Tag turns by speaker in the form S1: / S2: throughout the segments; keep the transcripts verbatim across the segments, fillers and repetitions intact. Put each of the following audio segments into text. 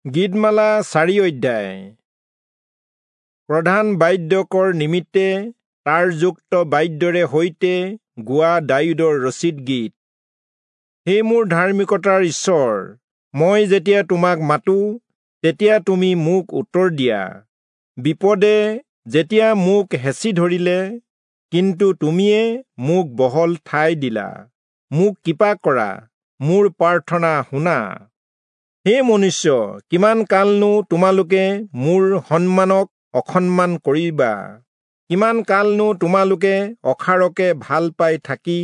S1: গীতমালা চাৰি অধ্যায়। প্ৰধান বাদ্যকৰ নিমিত্তে তাৰযুক্ত বাদ্যৰে সৈতে গোৱা দায়ূদৰ ৰচিত গীত। হে মোৰ ধাৰ্মিকতাৰ ঈশ্বৰ, মই যেতিয়া তোমাক মাতো তেতিয়া তুমি মোক উত্তৰ দিয়া। বিপদে যেতিয়া মোক হেঁচি ধৰিলে, কিন্তু তুমিয়ে মোক বহল ঠাই দিলা। মোক কৃপা কৰা, মোৰ প্ৰাৰ্থনা শুনা। হে মনুষ্য, কিমান কালনো তোমালোকে মোৰ সন্মানক অসন্মান কৰিবা? কিমান কালনো তোমালোকে অসাৰকে ভাল পাই থাকি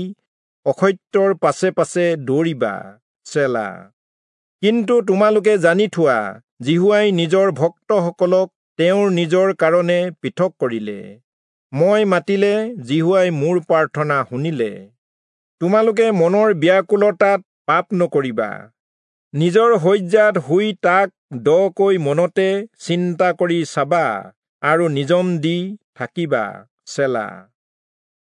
S1: অসত্যৰ পাছে পাছে দৌৰিবা? চেলা। কিন্তু তোমালোকে জানি থোৱা, যিহোৱাই নিজৰ ভক্তসকলক তেওঁৰ নিজৰ কাৰণে পৃথক কৰিলে। মই মাতিলে যিহোৱাই মোৰ প্ৰাৰ্থনা শুনিলে। তোমালোকে মনৰ ব্যাকুলতাত পাপ নকৰিবা। নিজৰ শয্যাত শুই তাক দকৈ মনতে চিন্তা কৰি চাবা আৰু নিজম দি থাকিবা। চেলা।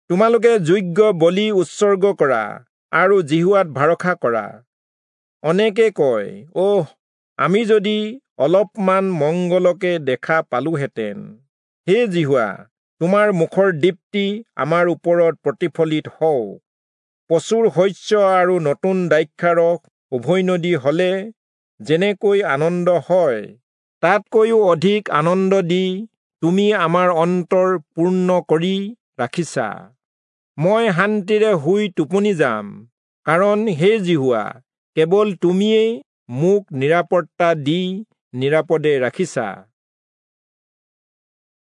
S1: তোমালোকে যোগ্য বলি উৎসৰ্গ কৰা আৰু যিহোৱাত ভৰসা কৰা। অনেকে কয়, অহ, আমি যদি অলপমান মংগলকে দেখা পালোহেঁতেন! হে যিহোৱা, তোমাৰ মুখৰ দীপ্তি আমাৰ ওপৰত প্ৰতিফলিত হওক। প্ৰচুৰ শস্য আৰু নতুন দ্ৰাক্ষাৰস উভৈনদী হলে যেনেকৈ আনন্দ হয়, তাতকৈও অধিক আনন্দ দি তুমি আমাৰ অন্তৰ পূৰ্ণ কৰি ৰাখিছা। মই শান্তিৰে শুই টোপনি যাম, কাৰণ হে যিহোৱা, কেৱল তুমিয়েই মোক নিৰাপত্তা দি নিৰাপদে ৰাখিছা।